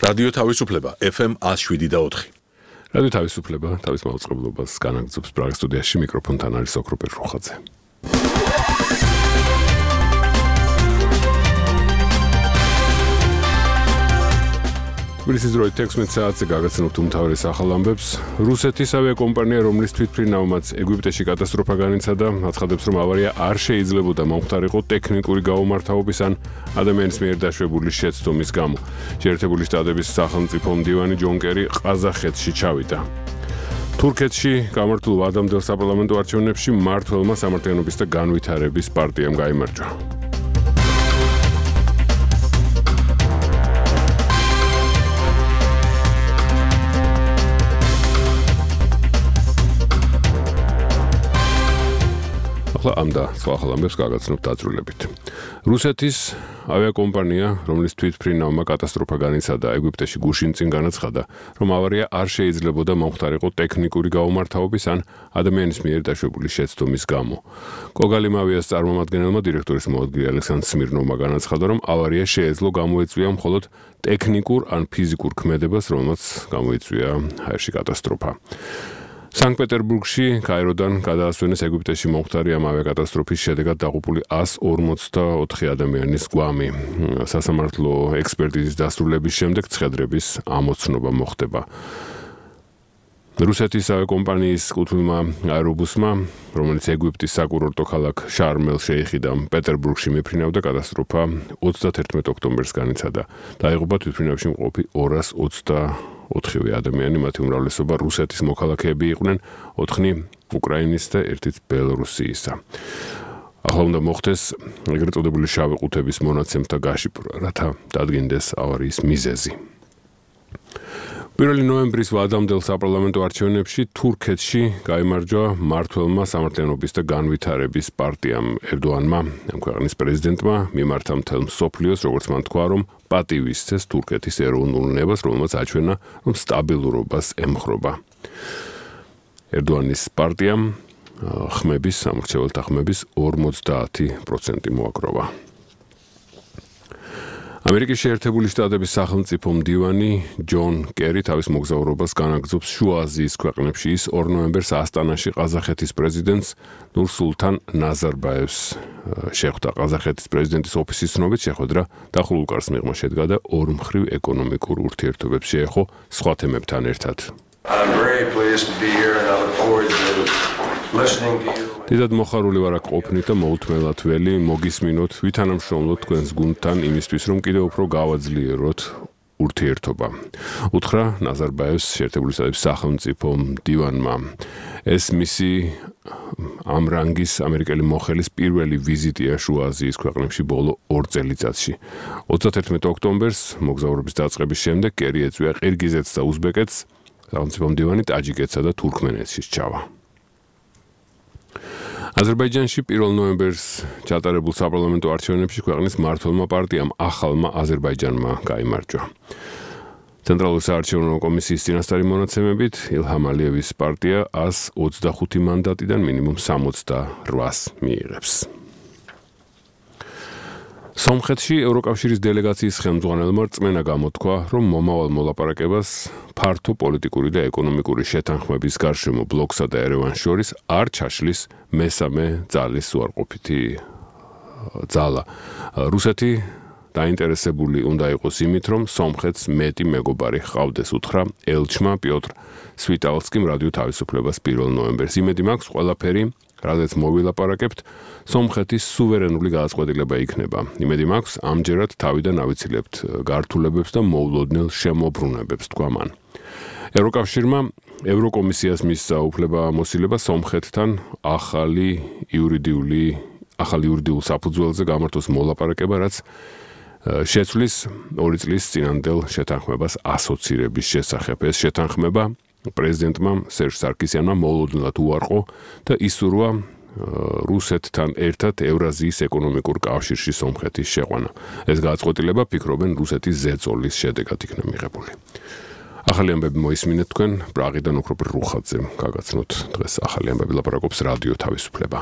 რადიო თავისუფლება FM 107.4. რადიო თავისუფლება თავის მაუწყებლობას განაგრძობს პრაღის სტუდიაში მიკროფონთან არის ოქროპერ რუხაძე. თბილისის დროით 16 საათზე გაგაცნობთ უმთავრეს ახალ ამბებს. რუსეთის ავიაკომპანია, რომლის თვითმფრინავმაც ეგვიპტეში კატასტროფა განიცადა, აცხადებს, რომ ავარია არ შეიძლებოდა მომხდარიყო ტექნიკური გაუმართავობის ან ადამიანის მიერ დაშვებული შეცდომის გამო. შეერთებული შტატების სახელმწიფო მდივანი ჯონ კერი ყაზახეთში ჩავიდა. თურქეთში გამართულ ვადამდელ საპარლამენტო არჩევნებში მმართველმა სამართლიანობის და განვითარების პარტიამ გაიმარჯვა. ამ და სხვა ახალ ამბებს გაგაცნობთ დაწვრილებით. რუსეთის ავიაკომპანია, რომლის თვითმფრინავმა კატასტროფა განიცადა ეგვიპტეში გუშინ წინ განაცხადა, რომ ავარია არ შეიძლებოდა მომხდარიყო ტექნიკური გაუმართავობის ან ადამიანის მიერ დაშვებული შეცდომის გამო. კოგალიმ ავიას წარმომადგენელმა დირექტორის მოადგილე ალექსანდრ სმირნოვმა განაცხადა, რომ ავარია შეეძლო გამოეწვია მხოლოდ ტექნიკურ ან ფიზიკურ ქმედებას, რომელმაც გამოიწვია აერში კატასტროფა. სანქტ-პეტერბურგში კაიროდან გადაასვენეს ეგვიპტეში მომხდარი ამ ავიაკატასტროფის შედეგად დაღუპული 154 ადამიანის გვამი. სასამართლო ექსპერტიზის დასრულების შემდეგ ცხედრების ამოცნობა მოხდება. რუსეთის ავიაკომპანიის კუთვნილმა აერობუსმა, რომელიც ეგვიპტის საკურორტო ქალაქ შარმ-ელ-შეიხიდან პეტერბურგში მიფრინავდა, კატასტროფა 31 ოქტომბერს განიცადა. დაიღუპა თვითმფრინავში მყოფი 224 ადამიანი, მათი უმრავლესობა რუსეთის მოქალაქეები იყვნენ, 4 უკრაინის და 1 ბელორუსიისა. ახლა უნდა მოხდეს ეგრეთ წოდებული შავი ყუთების მონაცემთა გაშიფრვა, რათა დადგინდეს ავარიის მიზეზი. 1 ნოემბრის ვადამდელ საპარლამენტო არჩევნებში თურქეთში გაიმარჯვა მმართველმა სამართლიანობის და განვითარების პარტიამ ერდოანმა, ამ ქვეყნის პრეზიდენტმა, მიმართა მთელ მსოფლიოს, როგორც მან თქვა, რომ პატივი სცეს თურქეთის ეროვნულ ნებას, რომელმაც აჩვენა, რომ სტაბილურობას ემხრობა. ერდოანის პარტიამ სამრჩეველთა ხმების 50% მოაგროვა. ამერიკის შეერთებული შტატების სახელმწიფო მდივანი ჯონ კერი თავის მოგზაურობას განაგრძობს შუა აზიის ქვეყნებში. ის 2 ნოემბერს ასტანაში ყაზახეთის პრეზიდენტს ნურსულთან ნაზარბაევს შეხვდა. ყაზახეთის პრეზიდენტის ოფისის ცნობით შეხვედრა დახურულ კარს მიღმა შედგა და ორმხრივ ეკონომიკურ ურთიერთობებს შეეხო სხვა თემებთან ერთად. დიდად მოხარული ვარ აქ ყოფნით და მოუთმელად ველი მოგისმინოთ, ვითანამშრომლოთ თქვენს გუნდთან იმისთვის, რომ კიდევ უფრო გავაძლიეროთ ურთიერთობა. უთხრა ნაზარბაევს შეერთებული შტატების სახელმწიფო მდივანმა. ეს მისი ამ რანგის ამერიკელი მოხელის პირველი ვიზიტია შუა აზიის ქვეყნებში ბოლო 2 წელიწადში. 31 ოქტომბერს მოგზაურობის დაწყების შემდეგ კერი ეწვია ყირგიზეთს და უზბეკეთს, სახელმწიფო მდივანი ტაჯიკეთსა და თურქმენეთში სჩავა. აზერბაიჯანში 1 ნოემბერს ჩატარებულ საპარლამენტო არჩევნებში ქვეყნის მმართველმა პარტიამ ახალმა აზერბაიჯანმა გაიმარჯვა. ცენტრალური საარჩევნო კომისიის წინასწარი მონაცემებით ილჰამ ალიევის პარტია 125 მანდატიდან მინიმუმ 68-ს მიიღებს. სომხეთში ევროკავშირის დელეგაციის ხელმძღვანელმა რწმენა გამოთქვა, რომ მომავალ მოლაპარაკებას ფართო პოლიტიკური და ეკონომიკური შეთანხმების გარშემო ბლოკსა და ერევანს შორის არ ჩაშლის მესამე ძალის უარყოფითი ძალა. რუსეთი დაინტერესებული უნდა იყოს იმით, რომ სომხეთს მეტი მეგობარი ჰყავდეს, უთხრა ელჩმა პიოტრ სვიტალსკიმ რადიო თავისუფლებას 1 ნოემბერს. იმედი მაქვს, ყველაფერი რადგან მოვილაპარაკებთ, სომხეთის სუვერენული გადაწყვეტილება იქნება. იმედი მაქვს, ამჯერად თავიდან ავიცილებთ გართულებებს და მოულოდნელ შემოbrunებებს, თქვა მან. ევროკავშირმა ევროკომისიას მისცა უფლება-მოსილება სომხეთთან ახალი იურიდიულ საფუძველზე გამართოს მოლაპარაკება, რაც შეცვლის 2 წლის წინანდელ შეთანხმებას ასოცირების შესახებ. ეს შეთანხმება პრეზიდენტმა სერჟ სარკისიანმა მოულოდნელად უარყო და ისურვა რუსეთთან ერთად ევრაზიის ეკონომიკურ კავშირში სომხეთის შეყვანა. ეს გადაწყვეტილება ფიქრობენ რუსეთის ზეწოლის შედეგად იქნა მიღებული. ახალი ამბები მოისმინეთ თქვენ პრაღიდან ოქროპერ რუხაძემ. გაგაცნოთ დღეს ახალი ამბები, ლაპარაკობს რადიო თავისუფლება.